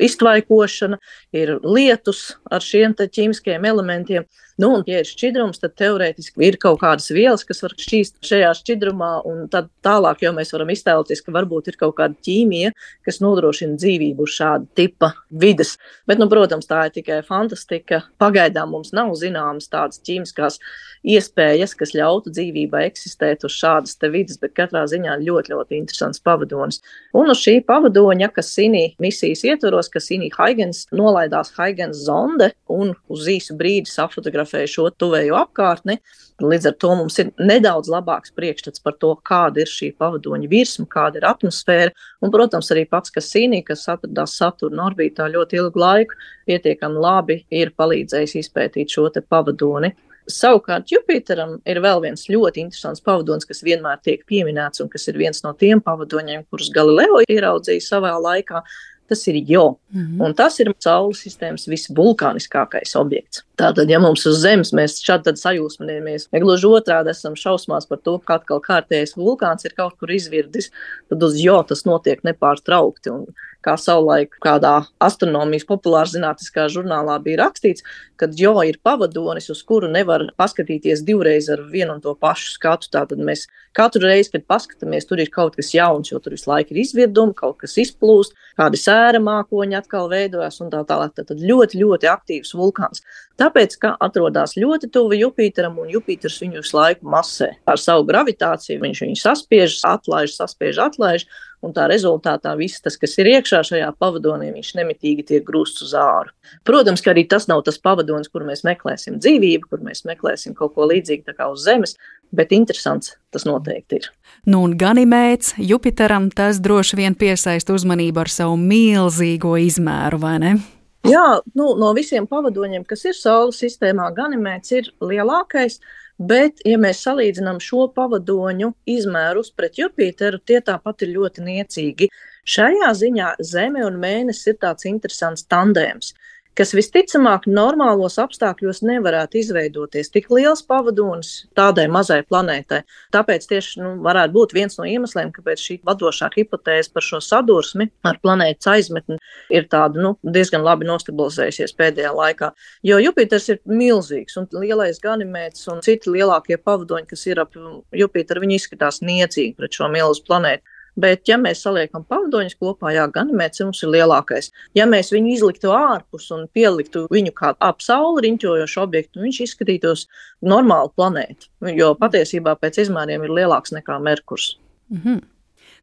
iztvaikošana, ir lietus ar šiem te ķīmiskiem elementiem. Nu, un, ja ir šķidrums, tad teorētiski ir kaut kādas vielas, kas var šķīst šajā šķidrumā, un tad tālāk jau mēs varam iztēloties, ka varbūt ir kaut kāda ķīmija, kas nodrošina dzīvību uz šāda tipa vides. Bet, nu, protams, tā ir tikai fantastika. Pagaidām mums nav zināmas tādas ķīmiskās iespējas, kas ļautu dzīvībai eksistēt uz šādas te vides, bet katrā ziņā ļoti, ļoti interesants pavadonis. Un uz šī pavadoņa, Cassini misijas ietvaros, Cassini-Huygens nolaidās Huygens zonde un uz īsu brīdi safotografēja šo tuvējo apkārtni. Līdz ar to mums ir nedaudz labāks priekšstats par to, kāda ir šī pavadoņa virsma, kāda ir atmosfēra. Un, protams, arī pats Cassini, kas atradās Saturna orbītā ļoti ilgu laiku, pietiekami labi ir palīdzējis izpētīt šo te pavadoni. Savukārt Jupiteram ir vēl viens ļoti interesants pavadonis, kas vienmēr tiek pieminēts un kas ir viens no tiem pavadoņiem, kurus Galileo ieraudzīja savā laikā. Tas ir Jo. Mm-hmm. Un tas ir Saules sistēmas visvulkāniskākais objekts. Tātad, ja mums uz Zemes mēs šādi tad sajūsminamies, ja gluži otrādi esam šausmās par to, ka atkal kārtējais vulkāns ir kaut kur izvirdis, tad uz Jo tas notiek nepārtraukti. Un kā savulaik kādā astronomijas populārzinātniskā žurnālā bija rakstīts, kad Jo ir pavadonis, uz kuru nevar paskatīties divreiz ar vienu un to pašu skatu. Tātad mēs katru reizi, kad paskatāmies, tur ir kaut kas jauns, jo tur visu laiku ir izvirdumi, kaut kas izplūst, kādi sēra mākoņi atkal veidojas un tā tālāk. Tātad ļoti, ļoti aktīvs vulkāns. Tāpēc, ka atrodas ļoti tuvu Jupiteram un Jupiters viņu visu laiku masē. Ar savu gravitāciju viņš viņu saspiež, atlaiž, saspiež, atlaiž. un tā rezultātā viss tas, kas ir iekšā šajā pavadonī, viņš nemitīgi tiek grūsts uz āru. Protams, ka arī tas nav tas pavadonis, kur mēs meklēsim dzīvību, kur mēs meklēsim kaut ko līdzīgu tā kā uz Zemes, bet interesants tas noteikti ir. Nu un Ganimēds Jupiteram tas droši vien piesaista uzmanību ar savu milzīgo izmēru, vai ne? Jā, nu, no visiem pavadoņiem, kas ir Saules sistēmā, Ganimēds ir lielākais, bet, ja mēs salīdzinām šo pavadoņu izmērus pret Jupiteru, tie tāpat ir ļoti niecīgi. Šajā ziņā Zeme un Mēnesis ir tāds interesants tandēms, kas visticamāk normālos apstākļos nevarētu izveidoties tik liels pavadonis tādai mazai planētai. Tāpēc tieši nu, varētu būt viens no iemesliem, kāpēc šī vadošā hipotēze par šo sadursmi ar planētas aizmetni ir tāda nu, diezgan labi nostabilizējusies pēdējā laikā. Jo Jupiters ir milzīgs un lielais Ganimēds un citi lielākie pavadoņi, kas ir ap Jupiteru, viņi izskatās niecīgi pret šo milzu planētu. Bet, ja mēs saliekam pavadoņus kopā, jā, Ganimēds mums ir lielākais. Ja mēs viņu izliktu ārpus un pieliktu viņu kā ap Sauli riņķojošu objektu, viņš izskatītos normāli planētu, jo patiesībā pēc izmēriem ir lielāks nekā Merkurs. Mhm.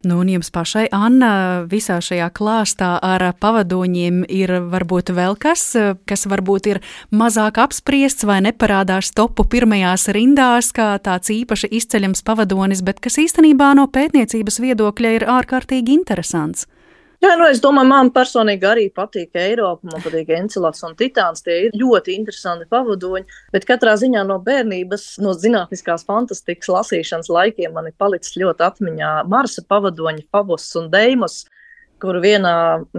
Nu, un jums pašai, Anna, visā šajā klāstā ar pavadoņiem ir varbūt vēl kas, kas varbūt ir mazāk apspriests vai neparādās topu pirmajās rindās, kā tāds īpaši izceļams pavadonis, bet kas īstenībā no pētniecības viedokļa ir ārkārtīgi interesants. Jā, nu es domāju, man personīgi arī patīk Eiropa, man patīk Encelads un Titāns, tie ir ļoti interesanti pavadoņi, bet katrā ziņā no bērnības, no zinātniskās fantastikas lasīšanas laikiem man ir palicis ļoti atmiņā Marsa pavadoņi Phobos un Deimos, kur vienā,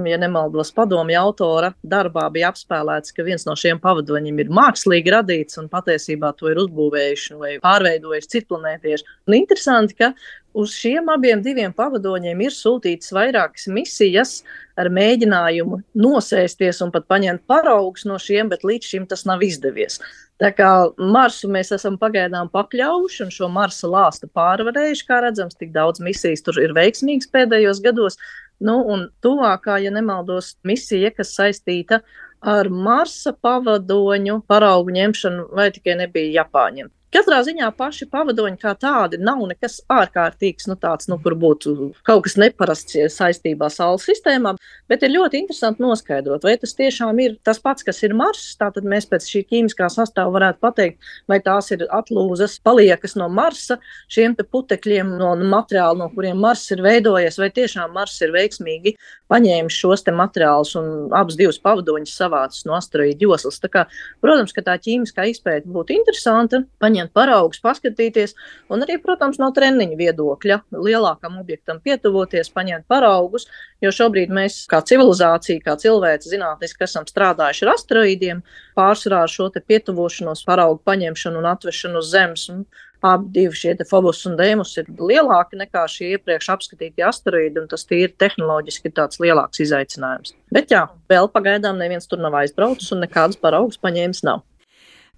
ja nemaldos, padomju autora darbā bija apspēlēts, ka viens no šiem pavadoņiem ir mākslīgi radīts un patiesībā to ir uzbūvējuši vai pārveidojuši citplanētieši. Un interesanti, ka uz šiem abiem diviem pavadoņiem ir sūtītas vairākas misijas ar mēģinājumu nosēsties un pat paņemt paraugus no šiem, bet līdz šim tas nav izdevies. Tā kā Marsu mēs esam pagaidām pakļaujuši un šo Marsa lāstu pārvarējuši, kā redzams, tik daudz misijas tur ir veiksmīgas pēdējos gados. Nu, un tuvākā, ja nemaldos, misija, kas saistīta ar Marsa pavadoņu paraugu ņemšanu, vai tikai nebija Japāņiem. Katrā ziņā paši pavadoņi kā tādi nav nekas ārkārtīgs, nu tāds, nu, kur būtu kaut kas neparasts saistībā Saules sistēmā, bet ir ļoti interesanti noskaidrot, vai tas tiešām ir tas pats, kas ir Marss, tātad mēs pēc šī ķīmiskā sastāva varētu pateikt, vai tās ir atlūzas paliekas no Marsa, šiem te putekļiem no materiāla, no kuriem Marss ir veidojies, vai tiešām Marss ir veiksmīgi paņēmis šos te materiālus un abas divas pavadoņas savācis no asteroīdu joslas. Tā kā, protams, ka tā ķīmiskā izpēta būtu interesanta, paņemt paraugus, paskatīties, un arī, protams, no treniņa viedokļa lielākam objektam pietuvoties, paņemt paraugus, jo šobrīd mēs kā civilizācija, kā cilvēci zinātniski esam strādājuši ar asteroīdiem, pārsvarā ar šo te pietuvošanos, paraugu paņemšanu un atvešanu uz Zemes. Un abi divi šie te Phobos un Deimos ir lielāki nekā šie iepriekš apskatītie asteroīdi, un tas tīri tehnoloģiski tāds lielāks izaicinājums. Bet jā, vēl pagaidām neviens tur nav aizbraucis un nekādas paraugus paņēmis nav.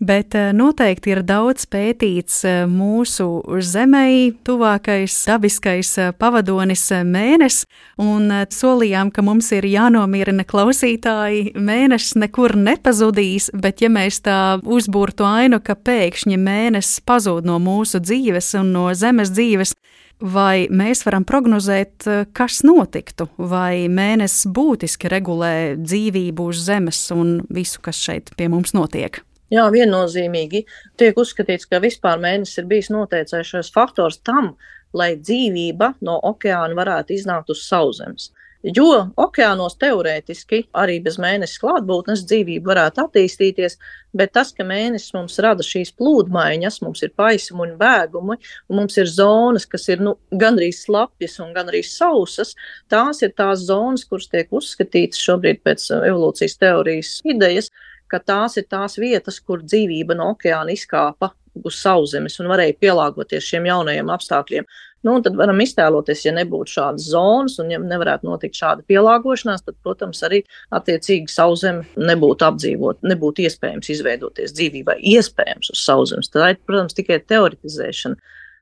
Bet noteikti ir daudz pētīts mūsu Zemei tuvākais dabiskais pavadonis Mēnesis, un solījām, ka mums ir jānomierina klausītāji, Mēnesis nekur nepazudīs, bet ja mēs tā uzburtu ainu, ka pēkšņi Mēnesis pazūd no mūsu dzīves un no Zemes dzīves, vai mēs varam prognozēt, kas notiktu, vai Mēnesis būtiski regulē dzīvību uz Zemes un visu, kas šeit pie mums notiek? Jā, viennozīmīgi tiek uzskatīts, ka vispār Mēnesis ir bijis noteicējušais faktors tam, lai dzīvība no okeāna varētu iznākt uz sauszemes. Jo okeānos teorētiski arī bez Mēnesis klātbūtnes dzīvība varētu attīstīties, bet tas, ka Mēnesis mums rada šīs plūdmaiņas, mums ir paisumi un bēgumi, un mums ir zonas, kas ir nu, gandrīz slapjas un gandrīz sausas, tās ir tās zonas, kuras tiek uzskatītas šobrīd pēc evolūcijas teorijas idejas, ka tās ir tās vietas, kur dzīvība no okeāna izkāpa uz sauszemes un varēja pielāgoties šiem jaunajiem apstākļiem. Nu, un tad varam iztēloties, ja nebūtu šādas zonas un ja nevarētu notikt šāda pielāgošanās, tad, protams, arī attiecīgi sauszeme nebūtu apdzīvot, nebūtu iespējams izveidoties dzīvībai, iespējams uz sauszemes. Tā ir, protams, tikai teoretizēšana.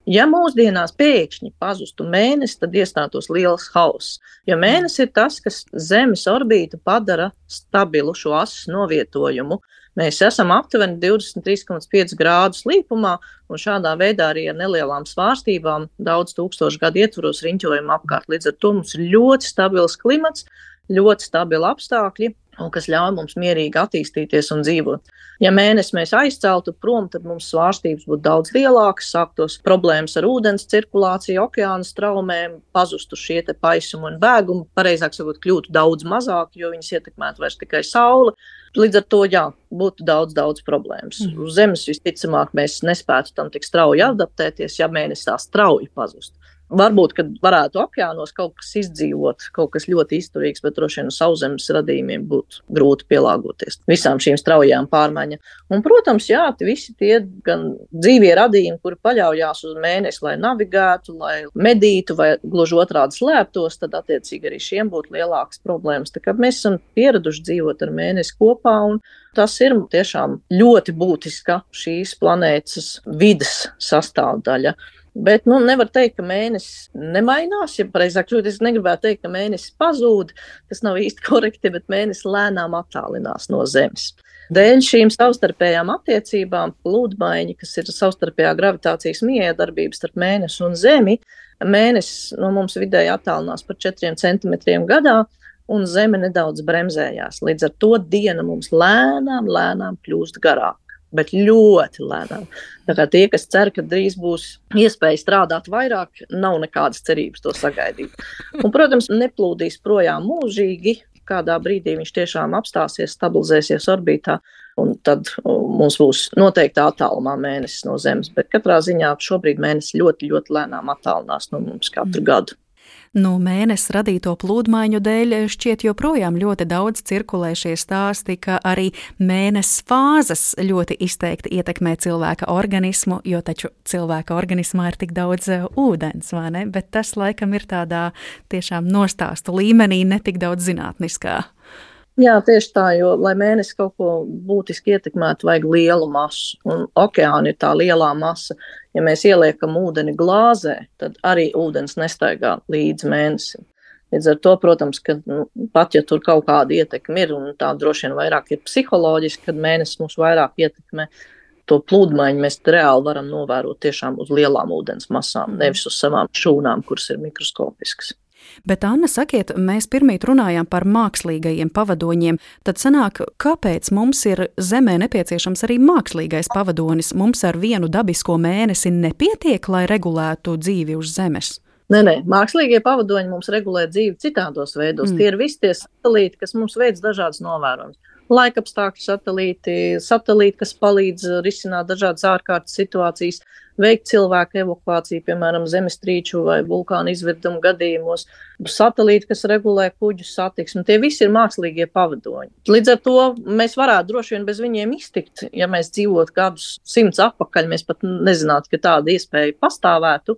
Ja mūsdienās pēkšņi pazustu Mēnesis, tad iestātos liels hauss, jo Mēnesis ir tas, kas Zemes orbītu padara stabilu šo asas novietojumu. Mēs esam aptuveni divdesmit trīs komats pieci grādus līpumā, un šādā veidā arī ar nelielām svārstībām daudz tūkstošu gadu ietvaros riņķojam apkārt. Līdz ar to mums ir ļoti stabils klimats, ļoti stabili apstākļi, un kas ļauj mums mierīgi attīstīties un dzīvot. Ja mēnesi mēs aizceltu prom, tad mums svārstības būtu daudz lielākas, sāktos problēmas ar ūdens cirkulāciju, okeāna straumēm, pazustu šie te paisumi un bēgumi, pareizāk sakot, kļūtu daudz mazāk, jo viņas ietekmētu vairs tikai saule. Līdz ar to, jā, būtu daudz, daudz problēmas. Mm. Uz Zemes visticamāk mēs nespētu tam tik strauji adaptēties, ja mēnesis tā strauji pazust. Varbūt, kad varētu okeānos kaut kas izdzīvot, kaut kas ļoti izturīgs, bet droši vien uz sauszemes radījumiem būtu grūti pielāgoties visām šīm straujām pārmaiņām. Un, protams, jā, visi tie gan dzīvie radījumi, kuri paļaujās uz mēnesi, lai navigētu, lai medītu vai gluži otrādi slēptos, tad attiecīgi arī šiem būtu lielākas problēmas. Tā kā mēs esam pieraduši dzīvot ar mēnesi kopā, un tas ir tiešām ļoti būtiska šīs planētas vides sastāvdaļa. Bet, nu, nevar teikt, ka mēnesis nemainās, ja pareizāk, es negribētu teikt, ka mēnesis pazūd, tas nav īsti korekti, bet mēnesis lēnām attālinās no Zemes. Dēļ šīm savstarpējām attiecībām plūdmaiņa, kas ir savstarpējā gravitācijas miedarbības starp mēnesi un Zemi, mēnesis no mums vidēji attālinās par četriem centimetriem gadā, un Zeme nedaudz bremzējās. Līdz ar to diena mums lēnām, lēnām kļūst garāk. Bet ļoti lēnām. Tā kā tie, kas cer, ka drīz būs iespēja strādāt vairāk, nav nekādas cerības to sagaidīt. Un, protams, neplūdīs projām mūžīgi, kādā brīdī viņš tiešām apstāsies, stabilizēsies orbītā, un tad mums būs noteikti attālumā mēnesis no Zemes. Bet katrā ziņā šobrīd mēnesis ļoti, ļoti lēnām attālinās no mums katru gadu. No mēnesis radīto plūdmaiņu dēļ šķiet joprojām ļoti daudz cirkulē šie stāsti, ka arī mēnesis fāzes ļoti izteikti ietekmē cilvēka organismu, jo taču cilvēka organismā ir tik daudz ūdens, vai ne? Bet tas laikam ir tādā tiešām nostāstu līmenī, ne tik daudz zinātniskā. Jā, tieši tā, jo, lai mēnesis kaut ko būtiski ietekmētu, vajag lielu masu, un okeāna ir tā lielā masa. Ja mēs ieliekam ūdeni glāzē, tad arī ūdens nestaigā līdz mēnesim. Līdz ar to, protams, ka nu, pat ja tur kaut kāda ietekme ir, un tā droši vien vairāk ir psiholoģiski, kad mēnesis mums vairāk ietekmē, to plūdmaiņu mēs reāli varam novērot tiešām uz lielām ūdens masām, nevis uz savām šūnām, kuras ir mikroskopiskas. Bet, Anna, sakiet, mēs pirmīt runājām par mākslīgajiem pavadoņiem, tad sanāk, kāpēc mums ir Zemē nepieciešams arī mākslīgais pavadonis? Mums ar vienu dabisko mēnesi nepietiek, lai regulētu dzīvi uz Zemes? Nē, nē, mākslīgie pavadoņi mums regulē dzīvi citādos veidos. Mm. Tie ir visi tie satelīti, kas mums veic dažādas novērojumus. Laikapstākļu satelīti, satelīti, kas palīdz risināt dažādas ārkārtas situācijas, veikt cilvēku evakuāciju, piemēram, zemestrīču vai vulkānu izvirdumu gadījumos, satelīti, kas regulē kuģu satiksmi. Tie visi ir mākslīgie pavadoņi. Līdz ar to mēs varētu droši vien bez viņiem iztikt, ja mēs dzīvotu gadus simts atpakaļ, mēs pat nezinātu, ka tāda iespēja pastāvētu.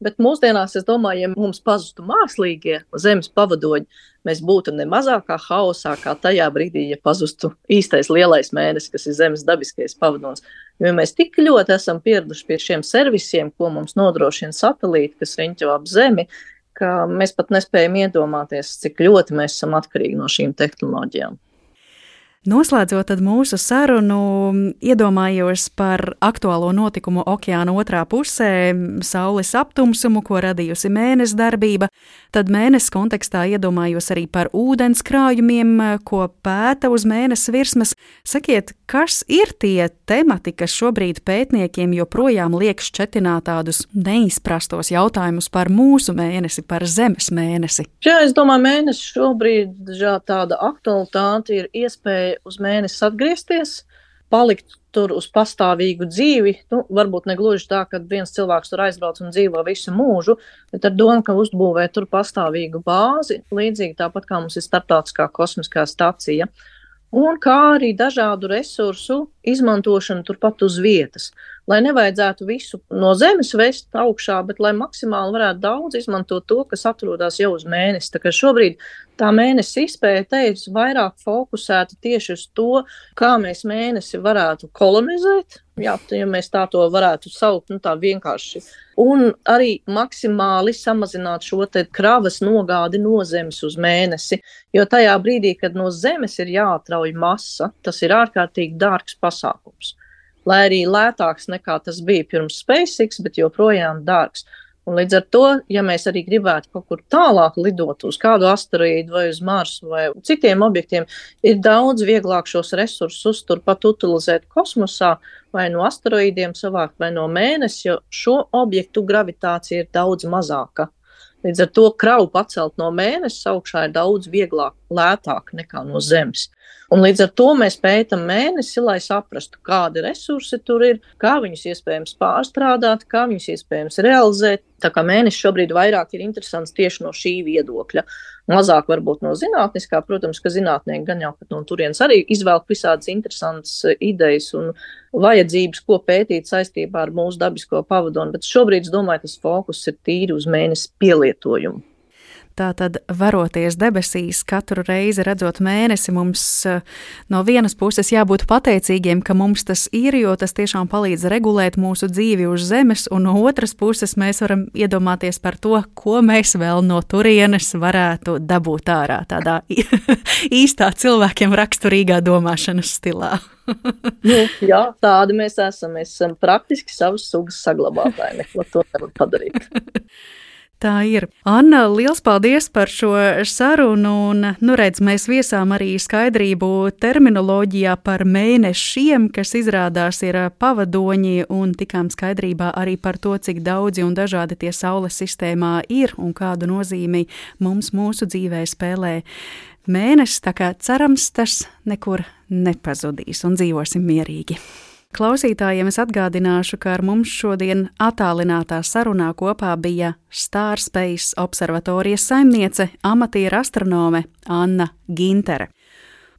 Bet mūsdienās, es domāju, ja mums pazustu mākslīgie Zemes pavadoņi, mēs būtu ne mazākā haosā kā tajā brīdī, ja pazustu īstais lielais mēnesis, kas ir Zemes dabiskais pavadonis. Jo mēs tik ļoti esam pieraduši pie šiem servisiem, ko mums nodrošina satelīti, kas riņķo ap Zemi, ka mēs pat nespējam iedomāties, cik ļoti mēs esam atkarīgi no šīm tehnoloģijām. Noslēdzot tad mūsu sarunu, iedomājos par aktuālo notikumu okeāna otrā pusē, saules aptumsumu, ko radījusi mēnesis darbība, tad mēnesis kontekstā iedomājos arī par ūdens krājumiem, ko pēta uz mēnesis virsmas. Sakiet, kas ir tie temati, kas šobrīd pētniekiem joprojām liek šķetināt tādus neizprastos jautājumus par mūsu mēnesi, par Zemes mēnesi? Jā, es domāju, mēnesis šobrīd jā, tāda aktualitāte ir iespēja uz mēnesi atgriezties, palikt tur uz pastāvīgu dzīvi, nu, varbūt ne gluži tā, ka viens cilvēks tur aizbrauc un dzīvo visu mūžu, bet ar domu, ka uzbūvē tur pastāvīgu bāzi, līdzīgi tāpat kā mums ir starptautiskā kosmiskā stacija, un kā arī dažādu resursu izmantošanu turpat uz vietas. lai nevajadzētu visu no Zemes vest augšā, bet lai maksimāli varētu daudz izmantot to, kas atrodas jau uz mēnesi. Tā kā šobrīd tā mēnesi izpēte ir vairāk fokusēta tieši uz to, kā mēs mēnesi varētu kolonizēt, jā, ja mēs tā to varētu saukt, nu tā vienkārši, un arī maksimāli samazināt šo te kravas nogādi no Zemes uz mēnesi, jo tajā brīdī, kad no Zemes ir jāatrauj masa, tas ir ārkārtīgi dārgs pasākums. Lai arī lētāks nekā tas bija pirms SpaceX, bet joprojām dārgs. Un līdz ar to, ja mēs arī gribētu kaut kur tālāk lidot uz kādu asteroīdu vai uz Marsu vai citiem objektiem, ir daudz vieglāk šos resursus turpat utilizēt kosmosā vai no asteroīdiem savākt vai no mēnesi, jo šo objektu gravitācija ir daudz mazāka. Līdz ar to kravu pacelt no mēnesis augšā ir daudz vieglāk, lētāk nekā no Zemes. Un līdz ar to mēs pētam mēnesi, lai saprastu, kādi resursi tur ir, kā viņus iespējams pārstrādāt, kā viņus iespējams realizēt. Tā kā mēnesis šobrīd vairāk ir interesants tieši no šī viedokļa. Mazāk varbūt no zinātniskā, protams, ka zinātnieki gan jau pat no turienes arī izvelk visādas interesantas idejas un vajadzības, ko pētīt saistībā ar mūsu dabisko pavadoni, bet šobrīd, es domāju, tas fokus ir tīri uz mēnesi pielietojumu. Tātad, varoties debesīs, katru reizi redzot mēnesi, mums no vienas puses jābūt pateicīgiem, ka mums tas ir, jo tas tiešām palīdz regulēt mūsu dzīvi uz Zemes, un no otras puses mēs varam iedomāties par to, ko mēs vēl no turienes varētu dabūt ārā tādā īstā cilvēkiem raksturīgā domāšanas stilā. Nu, jā, tādi mēs esam. Mēs esam praktiski savas sugas saglabātāji, neko to nevar padarīt. Tā ir. Anna, liels paldies par šo sarunu, un, nu redz, mēs viesām arī skaidrību terminoloģijā par mēnešiem, kas izrādās ir pavadoņi, un tikām skaidrībā arī par to, cik daudzi un dažādi tie Saules sistēmā ir, un kādu nozīmi mums mūsu dzīvē spēlē mēnesis, tā kā cerams, tas nekur nepazudīs, un dzīvosim mierīgi. Klausītājiem es atgādināšu, ka ar mums šodien attālinātā sarunā kopā bija Starspace observatorijas saimniece, amatiera astronome Anna Gintere.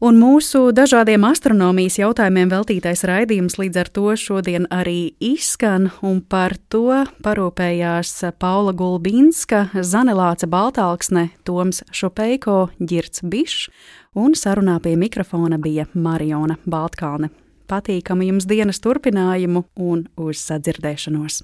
Un mūsu dažādiem astronomijas jautājumiem veltītais raidījums līdz ar to šodien arī izskan, un par to parūpējās Paula Gulbinska, Zane Lāce Baltalksne, Toms Šupeiko, Ģirds Bišs, un sarunā pie mikrofona bija Mariona Baltkalne. Patīkamu jums dienas turpinājumu un uz sadzirdēšanos!